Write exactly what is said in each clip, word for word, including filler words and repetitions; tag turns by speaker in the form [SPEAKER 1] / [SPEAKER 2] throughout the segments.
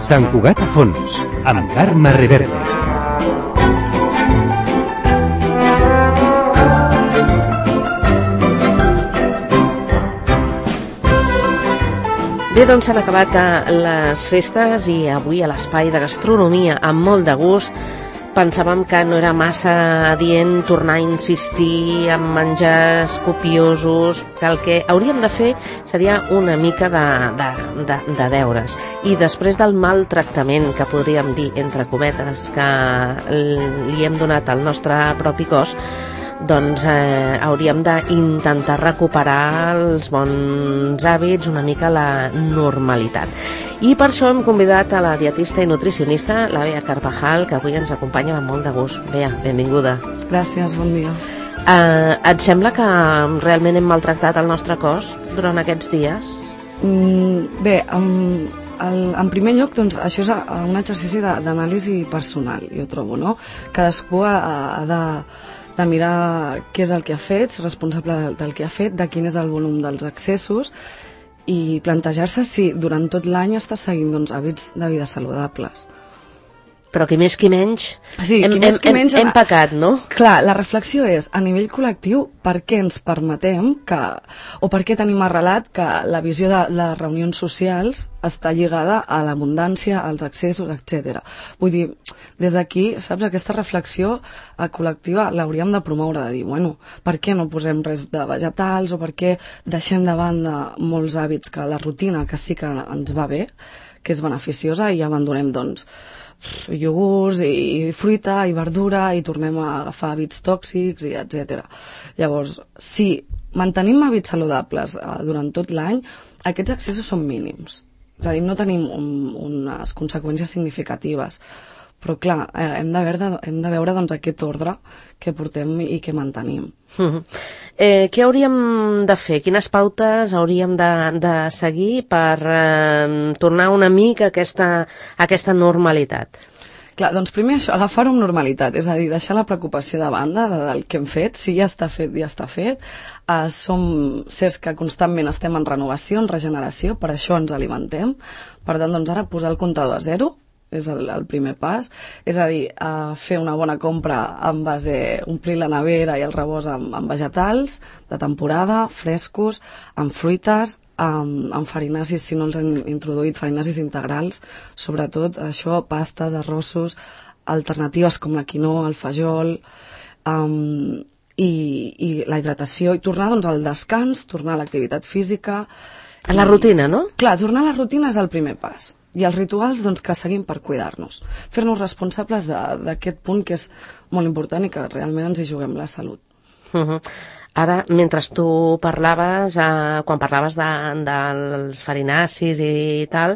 [SPEAKER 1] Sant Cugat a fons, amb Carme Reverte.
[SPEAKER 2] Bé, doncs s'han acabat les festes i avui a l'espai de gastronomia, amb molt de gust, pensàvem que no era massa adient tornar a insistir en menjars copiosos, que el que hauríem de fer seria una mica de, de, de, de deures. I després del maltractament, que podríem dir, entre cometes, que li hem donat al nostre propi cos, doncs eh, hauríem d'intentar recuperar els bons hàbits, una mica la normalitat. I per això hem convidat a la dietista i nutricionista, la Bea Carvajal, que avui ens acompanya amb molt de gust. Bea, benvinguda.
[SPEAKER 3] Gràcies, bon dia.
[SPEAKER 2] Eh, et sembla que realment hem maltractat el nostre cos durant aquests dies?
[SPEAKER 3] Mm, bé, en, el, en primer lloc, doncs, això és un exercici d'anàlisi personal, jo trobo, no? Cadascú ha, ha de... de mirar què és el que ha fet, ser responsable del, del que ha fet, de quin és el volum dels excessos i plantejar-se si durant tot l'any està seguint doncs, hàbits de vida saludables.
[SPEAKER 2] Però qui més qui menys,
[SPEAKER 3] sí,
[SPEAKER 2] hem,
[SPEAKER 3] qui més, qui
[SPEAKER 2] hem,
[SPEAKER 3] menys
[SPEAKER 2] hem pecat, no?
[SPEAKER 3] Clar, la reflexió és, a nivell col·lectiu, per què ens permetem que, o per què tenim arrelat que la visió de les reunions socials està lligada a l'abundància, als excessos, etcètera. Vull dir, des d'aquí, saps, aquesta reflexió col·lectiva l'hauríem de promoure, de dir, bueno, per què no posem res de vegetals, o per què deixem de banda molts hàbits que la rutina, que sí que ens va bé, que és beneficiosa, i abandonem, doncs, iogurts i fruita i verdura i tornem a agafar hàbits tòxics i etcètera. Llavors, si mantenim hàbits saludables eh, durant tot l'any, aquests excessos són mínims. És a dir, no tenim un, unes conseqüències significatives. Però clar, eh, hem de veure, hem de veure doncs, aquest ordre que portem i que mantenim.
[SPEAKER 2] Uh-huh. eh, què hauríem de fer? Quines pautes hauríem de, de seguir per eh, tornar una mica a aquesta, a aquesta normalitat?
[SPEAKER 3] Clar, doncs primer això, agafar-ho amb normalitat, és a dir, deixar la preocupació de banda de, del que hem fet, si ja està fet, ja està fet. Uh, som certs que constantment estem en renovació, en regeneració, per això ens alimentem. Per tant, doncs ara posar el comptador a zero és el, el primer pas, és a dir, uh, fer una bona compra en base, omplir la nevera i el rebost amb, amb vegetals de temporada, frescos, amb fruites, amb, amb farinacis, si no els han introduït, farinacis integrals, sobretot això, pastes, arrossos, alternatives com la quinoa, el fajol, um, i, i la hidratació, i tornar doncs, al descans, tornar a l'activitat física.
[SPEAKER 2] A la rutina, no?
[SPEAKER 3] Clar, tornar a la rutina és el primer pas. I els rituals doncs, que seguim per cuidar-nos. Fer-nos responsables d'aquest punt que és molt important i que realment ens hi juguem la salut.
[SPEAKER 2] Uh-huh. Ara, mentre tu parlaves, eh, quan parlaves de, dels farinacis i tal,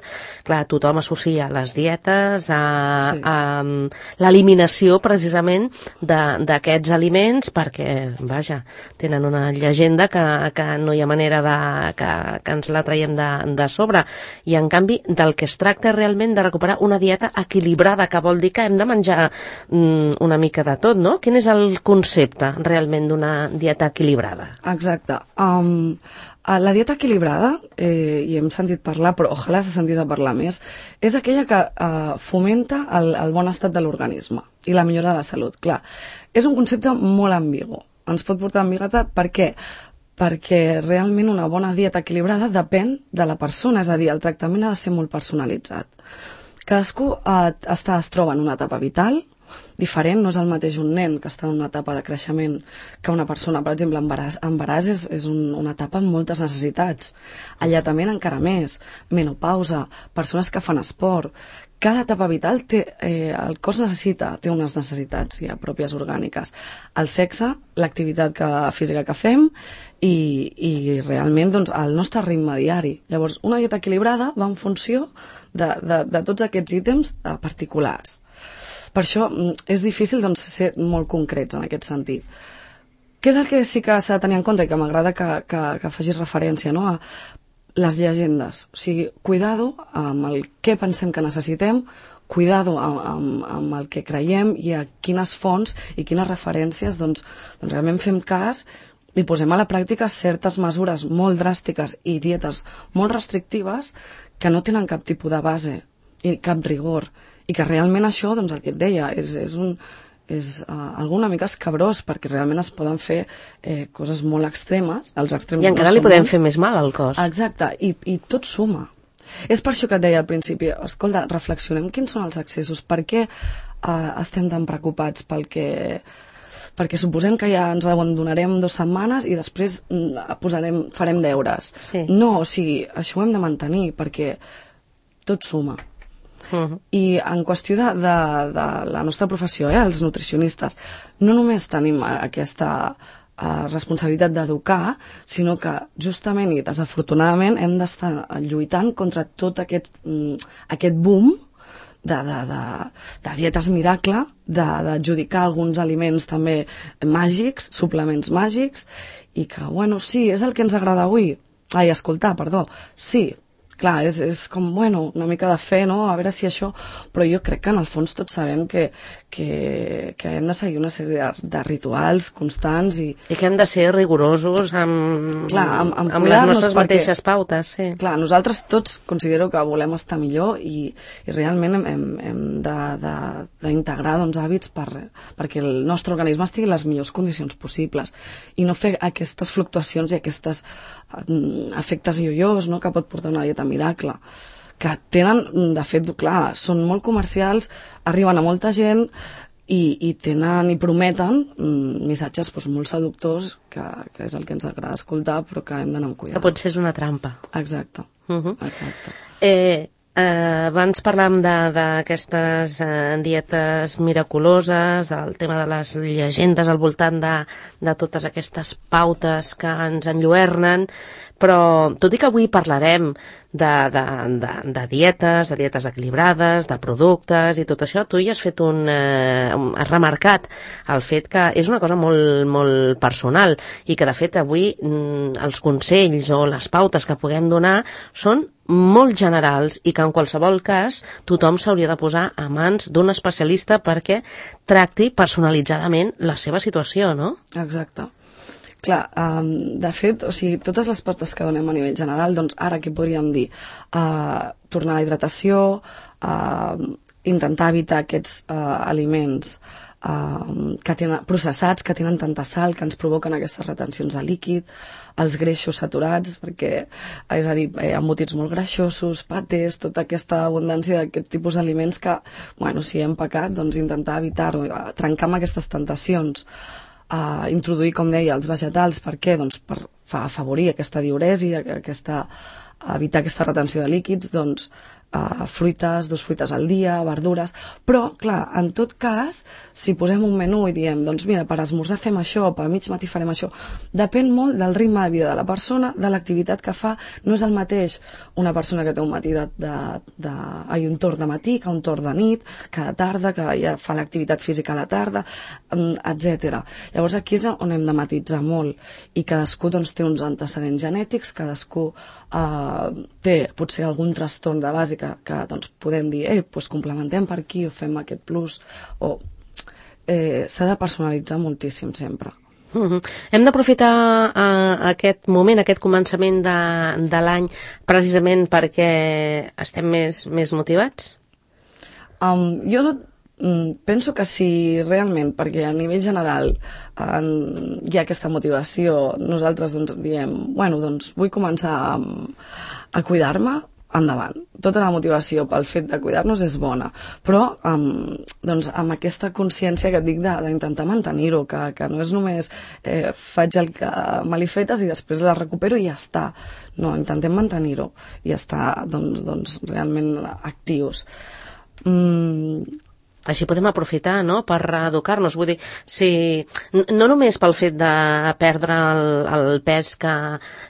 [SPEAKER 2] clar, tothom associa les dietes a, sí. a, a l'eliminació precisament d'aquests aliments perquè, vaja, tenen una llegenda que, que no hi ha manera de, que, que ens la traiem de, de sobre. I en canvi, del que es tracta realment de recuperar una dieta equilibrada, que vol dir que hem de menjar mm, una mica de tot, no? Quin és el concepte realment d'una dieta equilibrada?
[SPEAKER 3] Exacte. Um, la dieta equilibrada, eh, i hem sentit parlar, però ojalà s'ha sentit a parlar més, és aquella que uh, fomenta el, el bon estat de l'organisme i la millora de la salut. Clar, és un concepte molt ambigu. Ens pot portar ambigüitat. Per què? Perquè realment una bona dieta equilibrada depèn de la persona, és a dir, el tractament ha de ser molt personalitzat. Cadascú uh, està, es troba en una etapa vital diferent, no és el mateix un nen que està en una etapa de creixement que una persona, per exemple, embaràs, embaràs és, és un, una etapa amb moltes necessitats, alletament encara més, menopausa, persones que fan esport. Cada etapa vital té, eh, el cos necessita, té unes necessitats ja pròpies orgàniques. El sexe, l'activitat que, física que fem i, i realment doncs, el nostre ritme diari. Llavors, una dieta equilibrada va en funció de, de, de tots aquests ítems eh, particulars. Per això és difícil doncs, ser molt concrets en aquest sentit. Què és el que sí que s'ha de tenir en compte i que m'agrada que, que, que facis referència, no? A les llegendes. O sigui, cuidado amb el què pensem que necessitem, cuidado amb, amb, amb el que creiem i a quines fonts i quines referències doncs, doncs realment fem cas i posem a la pràctica certes mesures molt dràstiques i dietes molt restrictives que no tenen cap tipus de base i cap rigor. I que realment això, doncs el que et deia, és, és un... és uh, algo una mica escabrós, perquè realment es poden fer eh, coses molt extremes. Els extrems
[SPEAKER 2] I encara
[SPEAKER 3] no
[SPEAKER 2] li podem
[SPEAKER 3] molt...
[SPEAKER 2] fer més mal al cos.
[SPEAKER 3] Exacte, i, i tot suma. És per això que et deia al principi, escolta, reflexionem quins són els excessos, per què uh, estem tan preocupats pel que... perquè suposem que ja ens abandonarem dues setmanes i després mm, posarem, farem deures.
[SPEAKER 2] Sí.
[SPEAKER 3] No, o sigui, això ho hem de mantenir, perquè tot suma. Uh-huh. I en qüestió de, de, de la nostra professió, eh, els nutricionistes, no només tenim aquesta uh, responsabilitat d'educar, sinó que justament i desafortunadament hem d'estar lluitant contra tot aquest, um, aquest boom de, de, de, de dietes miracle, d'adjudicar alguns aliments també màgics, suplements màgics, i que, bueno, sí, és el que ens agrada avui. Ai, escoltar, perdó, sí, clar, és, és com, bueno, una mica de fe, no?, a veure si això... Però jo crec que en el fons tots sabem que, que, que hem de seguir una sèrie de, de rituals constants i...
[SPEAKER 2] I que hem de ser rigorosos amb,
[SPEAKER 3] clar, amb, amb,
[SPEAKER 2] amb les nostres perquè, mateixes pautes, sí.
[SPEAKER 3] Clar, nosaltres tots considero que volem estar millor i, i realment hem, hem, hem d'integrar doncs, hàbits per, perquè el nostre organisme estigui en les millors condicions possibles i no fer aquestes fluctuacions i aquestes uh, efectes ioiós, no?, que pot portar una dieta miracle, que tenen, de fet, clar, són molt comercials, arriben a molta gent i, i tenen i prometen mm, missatges doncs, molt seductors, que, que és el que ens agrada escoltar, però que hem d'anar amb cuidado.
[SPEAKER 2] Que potser és una trampa.
[SPEAKER 3] Exacte,
[SPEAKER 2] uh-huh.
[SPEAKER 3] exacte.
[SPEAKER 2] Eh, eh, abans parlàvem d'aquestes eh, dietes miraculoses, del tema de les llegendes al voltant de, de totes aquestes pautes que ens enlluernen, però tot i que avui parlarem de, de, de, de dietes, de dietes equilibrades, de productes i tot això, tu hi has fet un... Eh, has remarcat el fet que és una cosa molt, molt personal i que de fet avui mm, els consells o les pautes que puguem donar són molt generals i que en qualsevol cas tothom s'hauria de posar a mans d'un especialista perquè tracti personalitzadament la seva situació, no?
[SPEAKER 3] Exacte. Clar, um, de fet, o sigui, totes les pautes que donem a nivell general, doncs ara què podríem dir? Uh, tornar a la hidratació, uh, intentar evitar aquests uh, aliments uh, que tenen, processats, que tenen tanta sal, que ens provoquen aquestes retencions de líquid, els greixos saturats, perquè, és a dir, eh, embotits molt greixosos, patés, tota aquesta abundància d'aquest tipus d'aliments que, bueno, si hem pecat, doncs intentar evitar-ho, trencar amb aquestes tentacions. A introduir, com deia, els vegetals. Per què? Doncs per afavorir aquesta diuresi, aquesta, evitar aquesta retenció de líquids, doncs uh, fruites, dos fruites al dia, verdures, però, clar, en tot cas, si posem un menú i diem, doncs mira, per esmorzar fem això, per mig matí farem això, depèn molt del ritme de vida de la persona, de l'activitat que fa. No és el mateix una persona que té un matí de, de, de, ai, un torn de matí que un torn de nit, que de tarda, que ja fa l'activitat física a la tarda, etcètera. Llavors aquí és on hem de matitzar molt i cadascú doncs, té uns antecedents genètics, cadascú eh, té potser algun trastorn de base que, que doncs, podem dir, eh, doncs complementem per aquí o fem aquest plus, o eh, s'ha de personalitzar moltíssim sempre.
[SPEAKER 2] Uh-huh. Hem d'aprofitar uh, aquest moment, aquest començament de, de l'any precisament perquè estem més, més motivats?
[SPEAKER 3] Um, jo mm, penso que sí, realment, perquè a nivell general en, hi ha aquesta motivació. Nosaltres doncs, diem, bueno, doncs vull començar a, a cuidar-me, endavant. Tota la motivació pel fet de cuidar-nos és bona, però um, doncs, amb aquesta consciència que et dic d'intentar mantenir-ho, que, que no és només eh, faig el que me l'he fetes i després la recupero i ja està. No, intentem mantenir-ho i estar doncs, doncs, realment actius. Mm,
[SPEAKER 2] Així podem aprofitar, no?, per educar-nos. Vull dir, si, no només pel fet de perdre el, el pes que,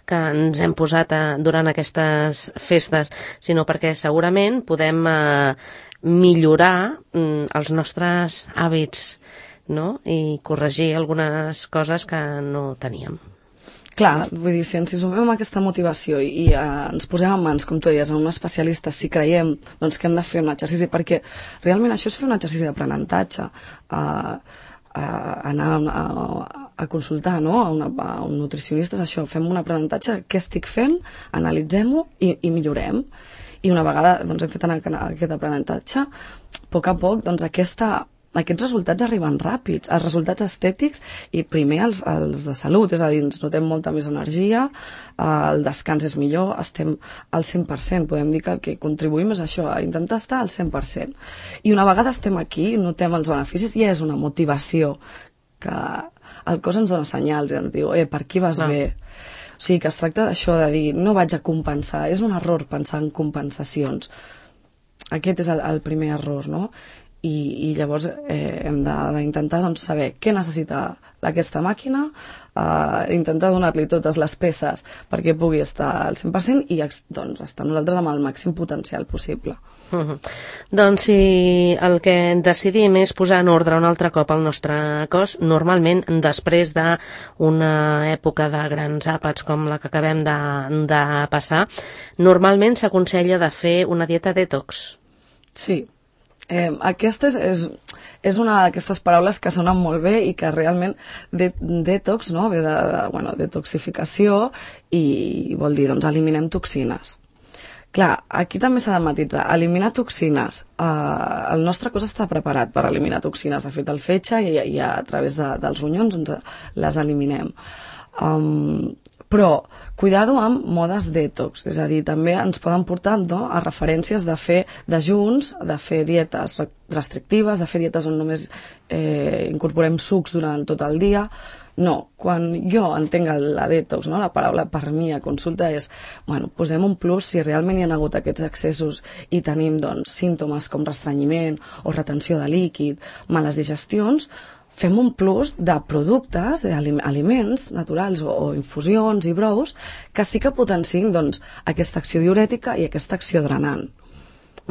[SPEAKER 2] que ens hem posat a, durant aquestes festes, sinó perquè segurament podem eh, millorar mm, els nostres hàbits, no?, i corregir algunes coses que no teníem.
[SPEAKER 3] Clar, vull dir, si ens sumem aquesta motivació i, i uh, ens posem en mans, com tu deies, en un especialista, si creiem doncs, que hem de fer un exercici, perquè realment això és fer un exercici d'aprenentatge, uh, uh, anar a, a, a consultar, no?, a, una, a un nutricionista, és això, fem un aprenentatge, què estic fent, analitzem-ho i, i millorem. I una vegada doncs, hem fet aquest aprenentatge, a poc a poc doncs, aquesta, aquests resultats arriben ràpids, els resultats estètics i primer els, els de salut, és a dir, ens notem molta més energia, el descans és millor, estem al cent per cent, podem dir que el que contribuïm és això, a intentar estar al cent per cent. I una vegada estem aquí, notem els beneficis, ja és una motivació que el cos ens dona senyals i ens diu, eh, per aquí vas no. bé. O sigui, que es tracta d'això de dir, no vaig a compensar, és un error pensar en compensacions. Aquest és el, el primer error, no? I, i llavors eh, hem d'intentar doncs, saber què necessita aquesta màquina, eh, intentar donar-li totes les peces perquè pugui estar al cent per cent i doncs, estar nosaltres amb el màxim potencial possible.
[SPEAKER 2] Uh-huh. Doncs si el que decidim és posar en ordre un altre cop el nostre cos, normalment després d'una època de grans àpats com la que acabem de, de passar, normalment s'aconsella de fer una dieta detox.
[SPEAKER 3] Sí. Eh, aquesta és, és, és una d'aquestes paraules que sonen molt bé i que realment de, detox, no? Ve de, de bueno, detoxificació i vol dir, doncs, eliminem toxines. Clar, aquí també s'ha de matitzar. Eliminar toxines. Eh, el nostre cos està preparat per eliminar toxines. De fet, el fetge i, i a través de, dels ronyons doncs, les eliminem. Um, però cuidado amb modes detox, és a dir, també ens poden portar no, a referències de fer dejuns, de fer dietes restrictives, de fer dietes on només eh, incorporem sucs durant tot el dia. No, quan jo entenc la detox, no, la paraula per mi a consulta és, bueno, posem un plus si realment hi ha hagut aquests excessos i tenim doncs, símptomes com restrenyiment o retenció de líquid, males digestions, fem un plus de productes, aliments naturals o, o infusions i brous que sí que potenciïn doncs, aquesta acció diurètica i aquesta acció drenant.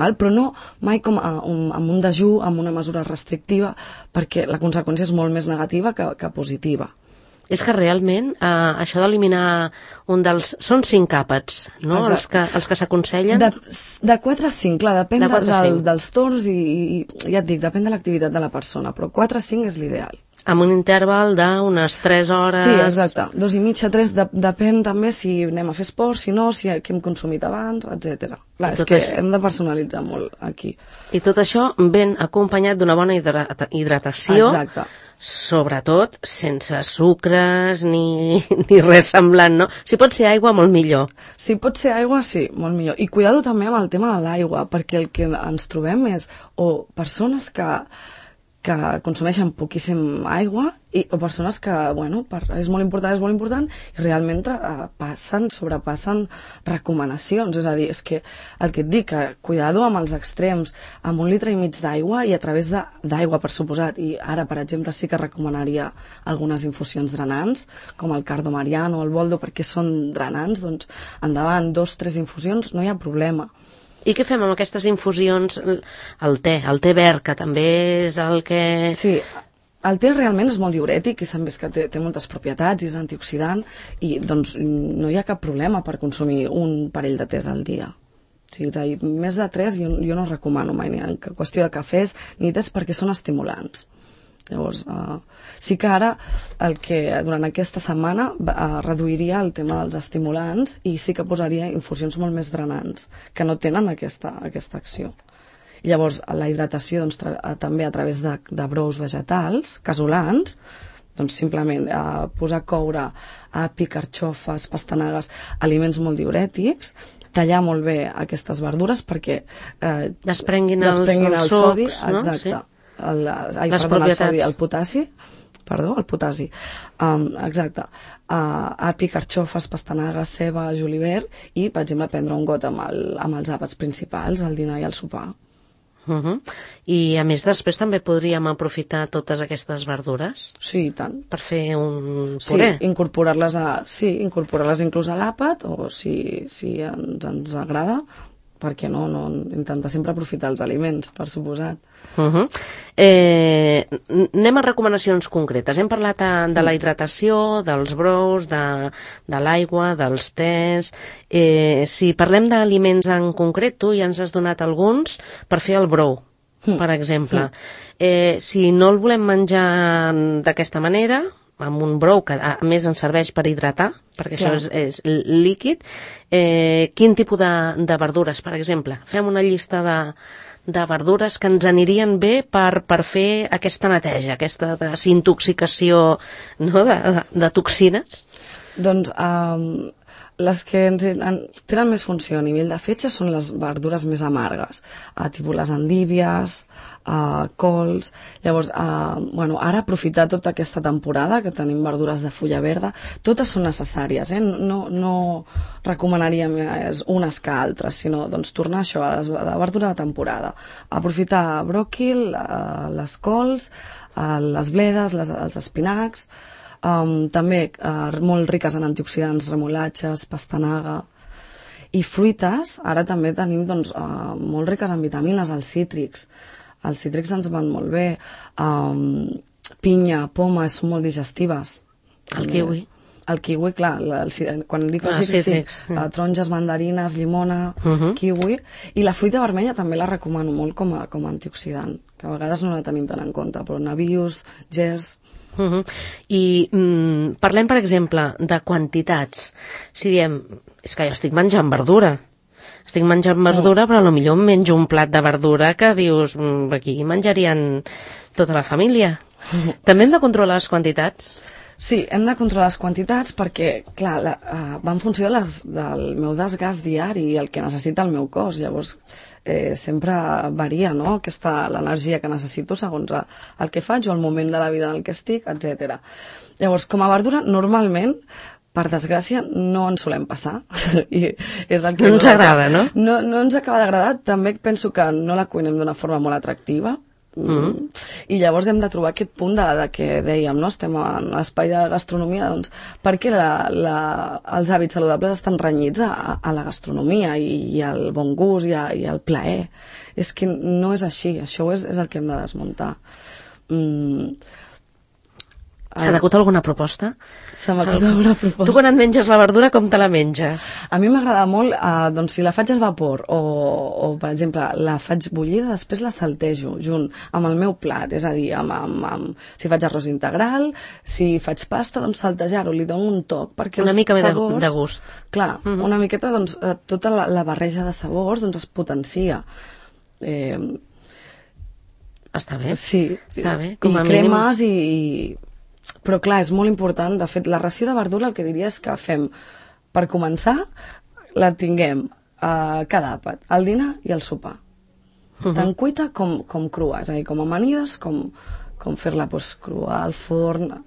[SPEAKER 3] Val? Però no mai com a, un, amb un dejú, amb una mesura restrictiva, perquè la conseqüència és molt més negativa que, que positiva.
[SPEAKER 2] És que realment eh, això d'eliminar un dels... Són cinc àpats, no? Els que, els que s'aconsellen?
[SPEAKER 3] De, de quatre a cinc, clar, depèn de del, dels torns i, i ja et dic, depèn de l'activitat de la persona, però quatre a cinc és l'ideal.
[SPEAKER 2] Amb un interval d'unes tres hores...
[SPEAKER 3] Sí, exacte. Dos i mitja, tres, de, depèn també si anem a fer esport, si no, si què hem consumit abans, etcètera. Clar, és que això... hem de personalitzar molt aquí.
[SPEAKER 2] I tot això ben acompanyat d'una bona hidrata hidratació.
[SPEAKER 3] Exacte.
[SPEAKER 2] Sobretot sense sucres ni, ni res semblant, no? Si pot ser aigua, molt millor.
[SPEAKER 3] Si pot ser aigua, sí, molt millor. I cuidado també amb el tema de l'aigua, perquè el que ens trobem és o persones que que consumeixen poquíssim aigua i, o persones que, bueno, per, és molt important, és molt important, i realment uh, passen, sobrepassen recomanacions. És a dir, és que el que et dic, que cuidado amb els extrems, amb un litre i mig d'aigua i a través d'aigua, per suposat, i ara, per exemple, sí que recomanaria algunes infusions drenants, com el cardomariano o el boldo, perquè són drenants, doncs endavant, dos, tres infusions, no hi ha problema.
[SPEAKER 2] I què fem amb aquestes infusions? El te, el te verd, que també és el que...
[SPEAKER 3] Sí, el te realment és molt diurètic i s'han vist que té, té moltes propietats i és antioxidant i doncs no hi ha cap problema per consumir un parell de tés al dia. Sí, és a dir, més de tres jo, jo no recomano mai ni en qüestió de cafès ni tés perquè són estimulants. Llavors, uh, sí que ara el que durant aquesta setmana uh, reduiria el tema dels estimulants i sí que posaria infusions molt més drenants, que no tenen aquesta, aquesta acció. I llavors, la hidratació doncs, també a través de, de brous vegetals, casolans, doncs simplement uh, posar a coure api, carxofes, pastanagues, aliments molt diurètics, tallar molt bé aquestes verdures perquè uh,
[SPEAKER 2] desprenguin,
[SPEAKER 3] desprenguin
[SPEAKER 2] els,
[SPEAKER 3] el sodi,
[SPEAKER 2] socs, no?
[SPEAKER 3] Exacte.
[SPEAKER 2] Sí.
[SPEAKER 3] El, ai,
[SPEAKER 2] les
[SPEAKER 3] perdona, el,
[SPEAKER 2] propietats.
[SPEAKER 3] sodi, el potassi, perdó, el potassi, um, exacte, uh, api, carxofes, pastanagues, ceba, julivert i, per exemple, prendre un got amb, el, amb els àpats principals, el dinar i el sopar.
[SPEAKER 2] Uh-huh. I, a més, després també podríem aprofitar totes aquestes verdures?
[SPEAKER 3] Sí, i tant.
[SPEAKER 2] Per fer un puré?
[SPEAKER 3] Sí, incorporar-les a, sí, incorporar-les inclús a l'àpat, o si, si ens, ens agrada, perquè no, no intentar sempre aprofitar els aliments, per suposat.
[SPEAKER 2] Uh-huh. eh, anem a recomanacions concretes. Hem parlat de la hidratació, dels brous, de, de l'aigua, dels tés. Eh, si parlem d'aliments en concret, tu ja ens has donat alguns per fer el brou, mm. per exemple. Mm. Eh, si no el volem menjar d'aquesta manera, amb un brou que a més ens serveix per hidratar, perquè
[SPEAKER 3] Clar.
[SPEAKER 2] això és, és líquid. Eh, quin tipus de, de verdures, per exemple? Fem una llista de, de verdures que ens anirien bé per, per fer aquesta neteja, aquesta desintoxicació, no?, de, de, de toxines.
[SPEAKER 3] Doncs um, les que ens en, tenen més funció a nivell de fetge són les verdures més amargues, uh, tipus les endívies, uh, cols. Llavors, uh, bueno, ara aprofitar tota aquesta temporada que tenim verdures de fulla verda, totes són necessàries, eh? no, no recomanaria més unes que altres, sinó doncs, tornar això a, les, a la verdura de temporada. Aprofitar bròquil, uh, les cols, uh, les bledes, les, els espinacs, Um, també uh, molt riques en antioxidants, remolatges, pastanaga i fruites. Ara també tenim doncs, uh, molt riques en vitamines, els cítrics. Els cítrics ens van molt bé. Um, pinya, poma, són molt digestives.
[SPEAKER 2] El kiwi.
[SPEAKER 3] El kiwi, clar, la, el, quan dic els
[SPEAKER 2] Ah,
[SPEAKER 3] cítrics,
[SPEAKER 2] cítrics.
[SPEAKER 3] sí, uh, taronges, mandarines, llimona,
[SPEAKER 2] Uh -huh.
[SPEAKER 3] kiwi, i la fruita vermella també la recomano molt com a, com a antioxidant, que a vegades no la tenim tan en compte, però nabius, gers...
[SPEAKER 2] Uh -huh. I mm, parlem, per exemple, de quantitats. Si diem, és que jo estic menjant verdura, estic menjant verdura, però potser em menjo un plat de verdura que dius, mm, aquí menjarien tota la família. També hem de controlar les quantitats?
[SPEAKER 3] Sí, hem de controlar les quantitats perquè, clar, la, uh, va en funció de les, del meu desgast diari i el que necessita el meu cos. Llavors, eh, sempre varia, no?, aquesta, l'energia que necessito segons el, el que faig o el moment de la vida en el que estic, etcètera. Llavors, com a verdura, normalment, per desgràcia, no ens solem passar. I és el que
[SPEAKER 2] no ens agrada, no?
[SPEAKER 3] No, no ens acaba d'agradar. També penso que no la cuinem d'una forma molt atractiva. Mm. I llavors hem de trobar aquest punt de, de que dèiem, no? Estem en l'espai de gastronomia, doncs perquè la, la, els hàbits saludables estan renyits a, a la gastronomia i, i al bon gust i, a, i al plaer. És que no és així, això és, és el que hem de desmuntar. mm.
[SPEAKER 2] S'ha d'acut alguna proposta?
[SPEAKER 3] Se m'ha acut alguna proposta.
[SPEAKER 2] Tu quan et menges la verdura, com te la menges?
[SPEAKER 3] A mi m'agrada molt, eh, doncs si la faig al vapor o, o, per exemple, la faig bullida, després la saltejo junt amb el meu plat, és a dir, amb, amb, amb, si faig arròs integral, si faig pasta, doncs saltejar-ho, li dono un toc, perquè
[SPEAKER 2] una
[SPEAKER 3] els
[SPEAKER 2] mica
[SPEAKER 3] sabors,
[SPEAKER 2] de, de gust.
[SPEAKER 3] Clar, uh -huh. una miqueta, doncs, eh, tota la, la barreja de sabors doncs, es potencia. Eh,
[SPEAKER 2] Està bé.
[SPEAKER 3] sí,
[SPEAKER 2] Està bé. Com
[SPEAKER 3] i
[SPEAKER 2] a mínim...
[SPEAKER 3] cremes i, i... Però clar, és molt important, de fet, la ració de verdura el que diria és que fem, per començar, la tinguem a cada àpat, al dinar i al sopar. Uh -huh. Tant cuita com, com crua, és a dir, com amanides, com, com fer-la doncs, crua al forn.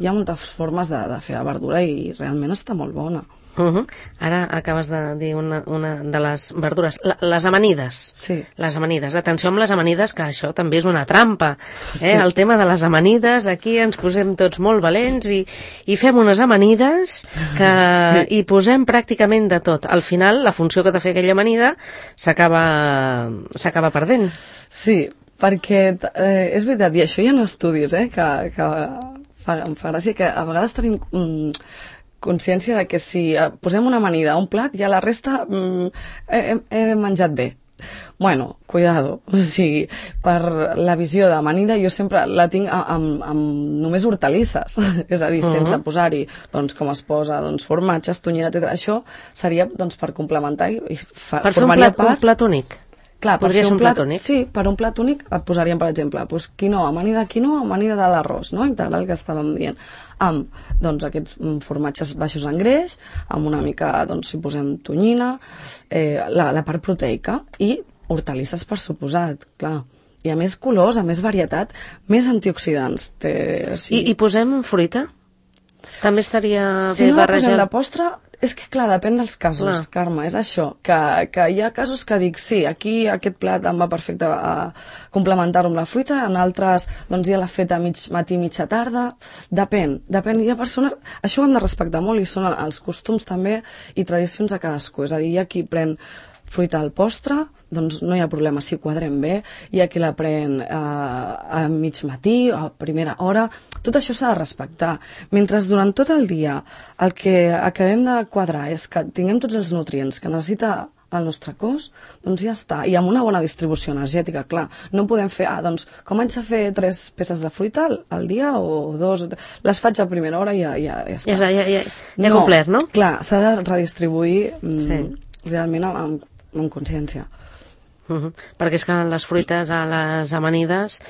[SPEAKER 3] Hi ha moltes formes de, de fer la verdura i realment està molt bona.
[SPEAKER 2] Uh -huh. Ara acabes de dir una, una de les verdures, la, les amanides.
[SPEAKER 3] Sí.
[SPEAKER 2] Les amanides. Atenció amb les amanides, que això també és una trampa. Eh?
[SPEAKER 3] Sí.
[SPEAKER 2] El tema de les amanides, aquí ens posem tots molt valents i, i fem unes amanides que
[SPEAKER 3] Sí.
[SPEAKER 2] hi posem pràcticament de tot. Al final, la funció que ha de fer aquella amanida s'acaba s'acaba perdent.
[SPEAKER 3] Sí, perquè eh, és veritat, i això hi ha estudis, eh, que, que fa, em fa gràcia que a vegades tenim... Mm, consciència de que si posem una amanida a un plat, ja la resta mm, he, he menjat bé. Bueno, cuidado, o sigui, per la visió d'amanida jo sempre la tinc amb, amb només hortalisses, és a dir, uh -huh. sense posar-hi, doncs, com es posa, doncs, formatges, tonyina, etcètera. Això seria, doncs, per complementar i fa,
[SPEAKER 2] per fer un plat, part... un plat únic.
[SPEAKER 3] Clar,
[SPEAKER 2] podria ser un plat, plat únic?
[SPEAKER 3] Sí, per un plat únic et posaríem, per exemple, doncs, quinoa, amanida de quinoa, amanida de l'arròs, no?, integral, que estàvem dient, amb, doncs, aquests formatges baixos en greix, amb una mica, doncs, si posem tonyina, eh, la, la part proteica, i hortalisses, per suposat, clar. I a més colors, a més varietat, més antioxidants. Té, sí.
[SPEAKER 2] I, I posem fruita? També estaria
[SPEAKER 3] si
[SPEAKER 2] bé
[SPEAKER 3] no la
[SPEAKER 2] barrejar...
[SPEAKER 3] posem de postre, és que, clar, depèn dels casos, clar. Carme, és això, que, que hi ha casos que dic, sí, aquí aquest plat em va perfecte a complementar-ho amb la fruita, en altres, doncs ja l'ha fet a mig matí, mitja tarda, depèn, depèn, hi ha persones, això ho hem de respectar molt i són els costums també i tradicions de cadascú, és a dir, hi ha qui pren fruita al postre, doncs no hi ha problema si ho quadrem bé, hi ha qui la pren eh, a mig matí, a primera hora, tot això s'ha de respectar. Mentre durant tot el dia el que acabem de quadrar és que tinguem tots els nutrients que necessita al nostre cos, doncs ja està. I amb una bona distribució energètica, clar. No podem fer, ah, doncs, com haig de fer tres peces de fruita al, al dia o dos? Les faig a primera hora i ja, ja, ja està.
[SPEAKER 2] Ja, ja, ja, ja no, complert, no?
[SPEAKER 3] Clar, s'ha de redistribuir mm,
[SPEAKER 2] Sí.
[SPEAKER 3] realment amb, amb consciència.
[SPEAKER 2] Uh -huh. Perquè és que les fruites a les amanides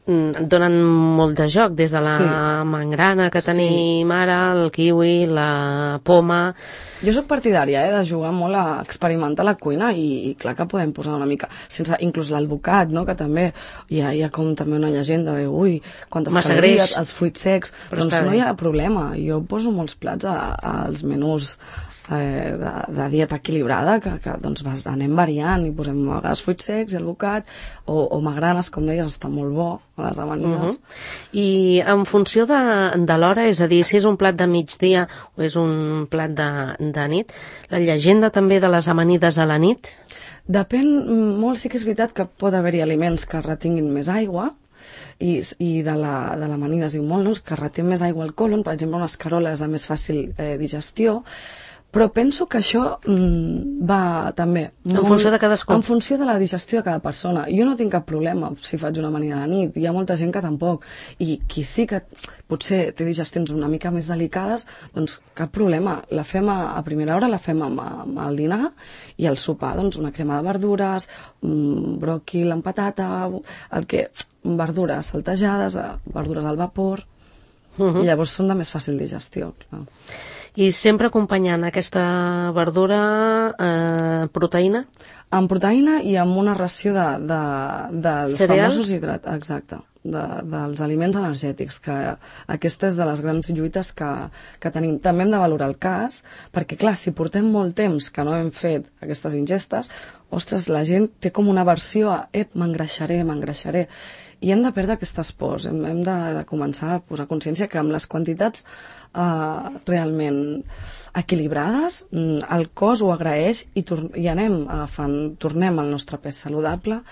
[SPEAKER 2] mm, donen molt de joc, des de la
[SPEAKER 3] Sí.
[SPEAKER 2] mangrana que tenim
[SPEAKER 3] Sí.
[SPEAKER 2] ara, el kiwi, la poma...
[SPEAKER 3] Jo sóc partidària eh, de jugar molt a experimentar la cuina i, i clar que podem posar una mica, sense inclús l'alvocat, no? Que també hi ha, hi ha com també una llegenda de ui, quantes
[SPEAKER 2] Massa
[SPEAKER 3] calories,
[SPEAKER 2] greix.
[SPEAKER 3] els fruits secs,
[SPEAKER 2] Però
[SPEAKER 3] doncs
[SPEAKER 2] està
[SPEAKER 3] no
[SPEAKER 2] bé.
[SPEAKER 3] hi ha problema. Jo poso molts plats a, als menús eh, de, de dieta equilibrada, que, que doncs vas, anem variant i posem a vegades fruits secs i alvocat, o, o magranes, com deies, està molt bo a les amanides.
[SPEAKER 2] Uh -huh. I en funció de, de l'hora, és a dir, si és un plat de migdia o és un plat de, de nit, la llegenda també de les amanides a la nit?
[SPEAKER 3] Depèn molt, sí que és veritat que pot haver-hi aliments que retinguin més aigua, i, i de la, de l'amanida es diu molt, no? Que retén més aigua al colon, per exemple, unes caroles de més fàcil eh, digestió, però penso que això mm, va també...
[SPEAKER 2] En funció de cadascú.
[SPEAKER 3] En funció de la digestió de cada persona. Jo no tinc cap problema si faig una amanida de nit, hi ha molta gent que tampoc, i qui sí que potser té digestions una mica més delicades, doncs cap problema, la fem a, a primera hora, la fem amb, amb el dinar, i al sopar, doncs una crema de verdures, un bròquil amb patata, el que... verdures saltejades, verdures al vapor, uh -huh. i llavors són de més fàcil digestió, clar.
[SPEAKER 2] I sempre acompanyant aquesta verdura eh, proteïna?
[SPEAKER 3] Amb proteïna i amb una ració de, de, dels
[SPEAKER 2] Cereals?
[SPEAKER 3] famosos hidrats, exacte, de, dels aliments energètics, que aquesta és de les grans lluites que, que tenim. També hem de valorar el cas, perquè clar, si portem molt temps que no hem fet aquestes ingestes, ostres, la gent té com una versió a, ep, m'engreixaré, m'engreixaré, i hem de perdre aquestes pors, hem, hem de, de començar a posar consciència que amb les quantitats eh, realment equilibrades, el cos ho agraeix i, i anem agafant, tornem al nostre pes saludable,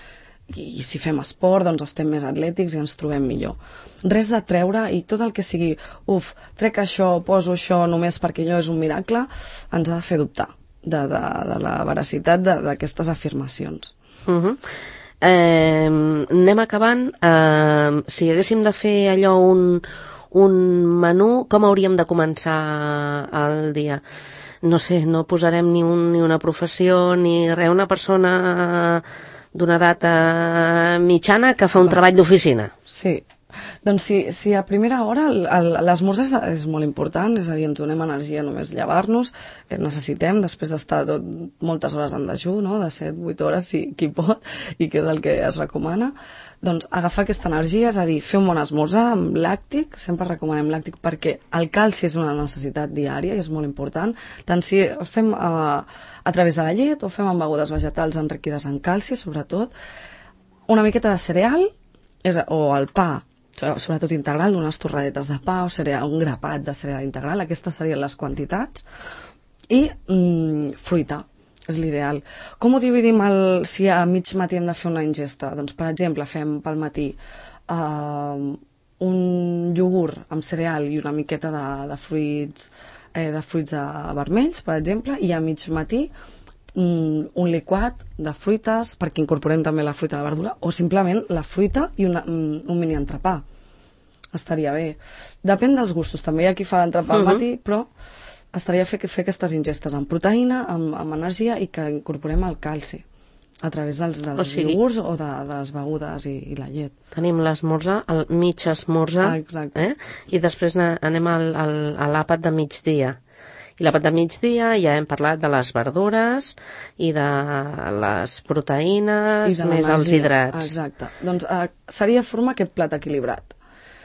[SPEAKER 3] i, i si fem esport doncs estem més atlètics i ens trobem millor. Res de treure, i tot el que sigui, uf, trec això, poso això només perquè allò és un miracle, ens ha de fer dubtar de, de, de la veracitat d'aquestes afirmacions.
[SPEAKER 2] Uh -huh. Eh, anem acabant. Eh, si haguéssim de fer allò un, un menú, com hauríem de començar el dia? No sé, no posarem ni, un, ni una professió ni res, una persona d'una edat mitjana que fa un treball d'oficina.
[SPEAKER 3] Sí. Doncs si, si a primera hora l'esmorzar és, és molt important, és a dir, ens donem energia només llevar-nos, eh, necessitem, després d'estar tot, moltes hores en dejú, no? De set a vuit hores, si qui pot, i que és el que es recomana, doncs agafar aquesta energia, és a dir, fer un bon esmorzar amb làctic, sempre recomanem làctic perquè el calci és una necessitat diària i és molt important, tant si el fem a, a través de la llet o fem amb begudes vegetals enriquides en calci, sobretot, una miqueta de cereal, és, o el pa, sobretot integral, unes torradetes de pa o cereal, un grapat de cereal integral, aquestes serien les quantitats, i mm, fruita, és l'ideal. Com ho dividim el, si a mig matí hem de fer una ingesta? Doncs, per exemple, fem pel matí uh, un iogurt amb cereal i una miqueta de, de fruits eh, de fruits uh, vermells, per exemple, i a mig matí un, un liquat de fruites, perquè incorporem també la fruita de la verdura, o simplement la fruita i una, un mini entrepà. Estaria bé. Depèn dels gustos, també hi ha qui fa l'entrepà al matí, però estaria fer, fer aquestes ingestes amb proteïna, amb, amb energia, i que incorporem el calci a través dels, dels o sigui, iogurts o de, de les begudes i, i la llet.
[SPEAKER 2] Tenim l'esmorzar, el mig esmorzar,
[SPEAKER 3] ah,
[SPEAKER 2] eh? I després anem al, al, a l'àpat de migdia. I l'àpat de migdia ja hem parlat de les verdures i de les proteïnes,
[SPEAKER 3] de
[SPEAKER 2] més els hidrats.
[SPEAKER 3] Exacte. Doncs eh, seria formar aquest plat equilibrat.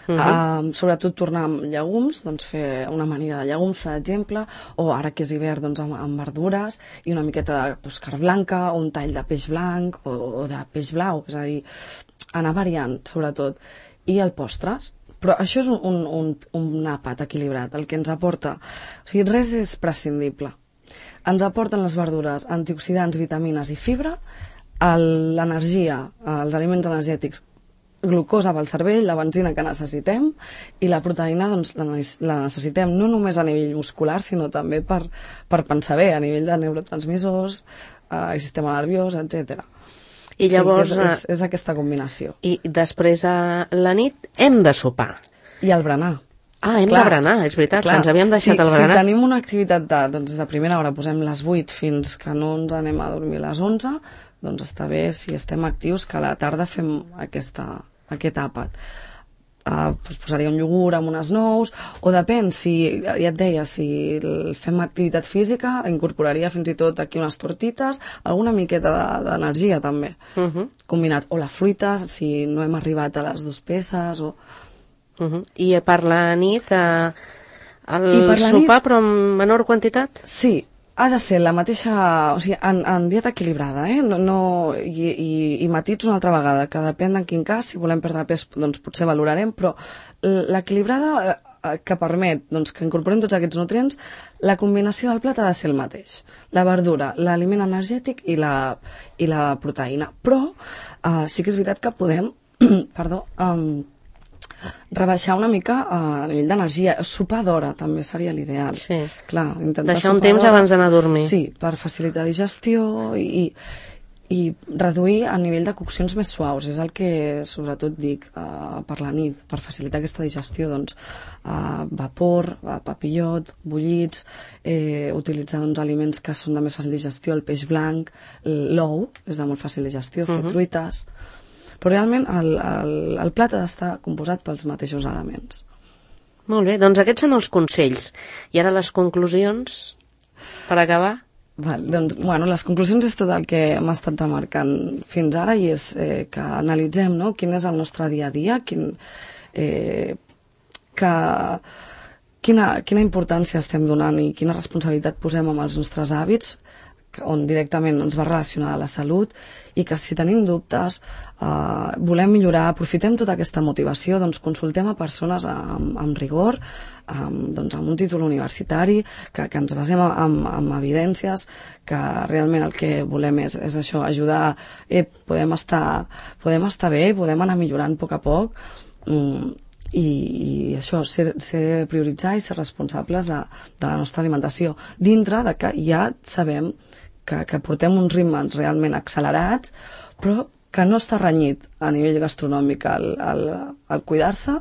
[SPEAKER 3] Uh -huh. uh, sobretot tornar amb llegums, doncs fer una amanida de llegums, per exemple, o ara que és hivern, doncs amb, amb verdures i una miqueta de doncs, carn blanca o un tall de peix blanc o, o de peix blau, és a dir, anar variant, sobretot. I el postres. Però això és un, un, un, un àpat equilibrat, el que ens aporta. O sigui, res és prescindible. Ens aporten les verdures antioxidants, vitamines i fibra, l'energia, els aliments energètics, glucosa pel cervell, la benzina que necessitem, i la proteïna doncs, la, la necessitem no només a nivell muscular, sinó també per, per pensar bé, a nivell de neurotransmissors, uh, i sistema nerviós, etcètera.
[SPEAKER 2] I llavors...
[SPEAKER 3] Sí, és, és, és aquesta combinació.
[SPEAKER 2] I després a la nit hem de sopar.
[SPEAKER 3] I el berenar.
[SPEAKER 2] Ah, hem
[SPEAKER 3] Clar,
[SPEAKER 2] de berenar, és veritat,
[SPEAKER 3] clar,
[SPEAKER 2] ens havíem deixat
[SPEAKER 3] si,
[SPEAKER 2] el berenar.
[SPEAKER 3] Si tenim una activitat de, doncs, des de primera hora posem les vuit fins que no ens anem a dormir a les onze, doncs està bé, si estem actius, que a la tarda fem aquesta, aquest àpat. Uh, doncs posaria un iogurt amb unes nous, o depèn, si, ja et deia, si fem activitat física, incorporaria fins i tot aquí unes tortites, alguna miqueta d'energia també, uh -huh. combinat, o la fruita, si no hem arribat a les dues peces, o...
[SPEAKER 2] Uh -huh. I per la nit, eh, el
[SPEAKER 3] la
[SPEAKER 2] sopar,
[SPEAKER 3] nit...
[SPEAKER 2] però en menor quantitat?
[SPEAKER 3] Sí, ha de ser la mateixa... O sigui, en, en dieta equilibrada, eh? No, no, i, i, i matits una altra vegada, que depèn en quin cas, si volem perdre pes, doncs potser valorarem, però l'equilibrada eh, que permet doncs, que incorporem tots aquests nutrients, la combinació del plat ha de ser el mateix. La verdura, l'aliment energètic i la, i la proteïna. Però eh, sí que és veritat que podem... perdó... Um, rebaixar una mica a nivell d'energia. Sopar d'hora també seria l'ideal.
[SPEAKER 2] Sí.
[SPEAKER 3] Clar,
[SPEAKER 2] deixar un temps abans d'anar a dormir.
[SPEAKER 3] Sí, per facilitar digestió i, i reduir el nivell de coccions més suaus. És el que sobretot dic uh, per la nit, per facilitar aquesta digestió. Doncs uh, vapor, uh, papillot, bullits, eh, utilitzar doncs, aliments que són de més fàcil digestió, el peix blanc, l'ou és de molt fàcil digestió, fer uh -huh. truites... Però realment el, el, el plat ha d'estar composat pels mateixos elements.
[SPEAKER 2] Molt bé, doncs aquests són els consells. I ara les conclusions, per acabar?
[SPEAKER 3] Val, doncs, bueno, les conclusions és tot el que hem estat remarcant fins ara i és eh, que analitzem, no?, quin és el nostre dia a dia, quin, eh, que, quina, quina importància estem donant i quina responsabilitat posem amb els nostres hàbits, on directament ens va relacionar a la salut, i que si tenim dubtes, eh, volem millorar, aprofitem tota aquesta motivació, doncs consultem a persones amb, amb rigor, amb, doncs, amb un títol universitari, que, que ens basem en, en evidències, que realment el que volem és, és això, ajudar, eh, podem estar, podem estar bé, podem anar millorant a poc a poc, mm, i, i això, ser, ser prioritzar i ser responsables de, de la nostra alimentació, dintre de que ja sabem que, que portem uns ritmes realment accelerats, però que no està renyit a nivell gastronòmic el, el, el cuidar-se,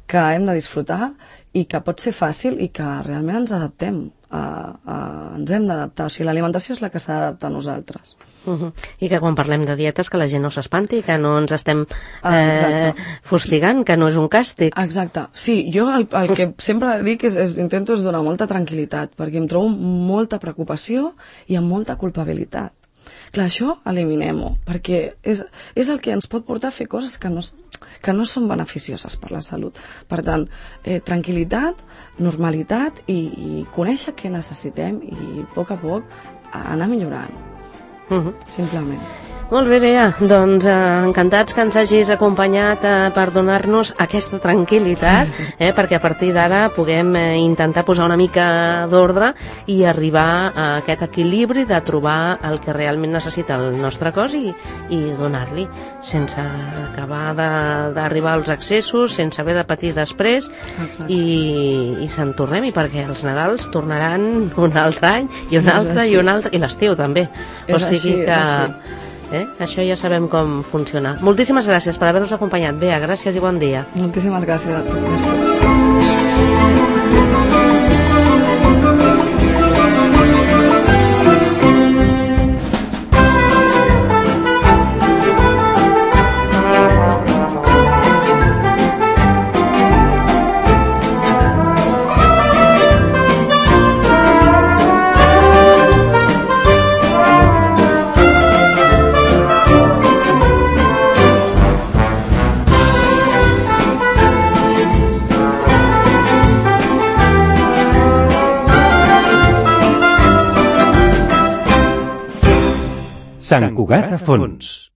[SPEAKER 3] que hem de disfrutar i que pot ser fàcil i que realment ens adaptem, a, a, ens hem d'adaptar. O sigui, l'alimentació és la que s'ha d'adaptar a nosaltres.
[SPEAKER 2] Uh -huh. I que quan parlem de dietes que la gent no s'espanti, que no ens estem eh, fustigant, que no és un càstig.
[SPEAKER 3] Exacte. Sí, jo el, el que sempre dic és, és intento és donar molta tranquil·litat, perquè em trobo molta preocupació i amb molta culpabilitat. Clar, això eliminem-ho, perquè és, és el que ens pot portar a fer coses que no, que no són beneficioses per la salut. Per tant, eh, tranquil·litat, normalitat i, i conèixer què necessitem i a poc a poc anar millorant.
[SPEAKER 2] Uh -huh.
[SPEAKER 3] Simplement.
[SPEAKER 2] Molt bé, Bea, doncs eh, encantats que ens hagis acompanyat eh, per donar-nos aquesta tranquil·litat, eh, perquè a partir d'ara puguem eh, intentar posar una mica d'ordre i arribar a aquest equilibri de trobar el que realment necessita el nostre cos i, i donar-li, sense acabar d'arribar als excessos, sense haver de patir després. Exacte. i, i se'n tornem, i perquè els Nadals tornaran un altre any i un altre i un altre, i l'estiu també.
[SPEAKER 3] És
[SPEAKER 2] o sigui
[SPEAKER 3] així,
[SPEAKER 2] que...
[SPEAKER 3] És així.
[SPEAKER 2] Eh? Això ja sabem com funciona. Moltíssimes gràcies per haver-nos acompanyat. Bea, gràcies i bon dia.
[SPEAKER 3] Moltíssimes gràcies a tu. Merci.
[SPEAKER 1] Sant Cugat a fons.